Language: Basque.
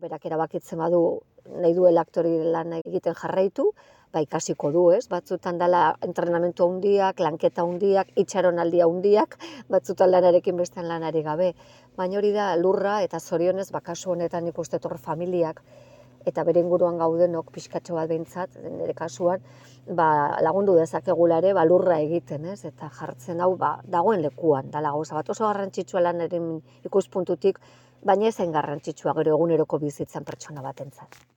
Berak erabakitzen badu nahi duela aktore lan egiten jarraitu, ikasiko du, ez? Batzutan dela entrenamentu handiak, lanketa handiak, itxaronaldi handiak, batzutan lanarekin bestean lanari gabe. Baina hori da lurra eta zorionez, kasu honetan nik uste hor familiak eta bere inguruan gaudenok pixkatxo bat behintzat, nire kasuan, lagundu dezakegula ere lurra egiten, ez? Eta jartzen hau dagoen lekuan, dala gauza bat oso garrantzitsua lanaren ikuspuntutik, baina ezen garrantzitsua gero eguneroko bizitzan pertsona batentzat.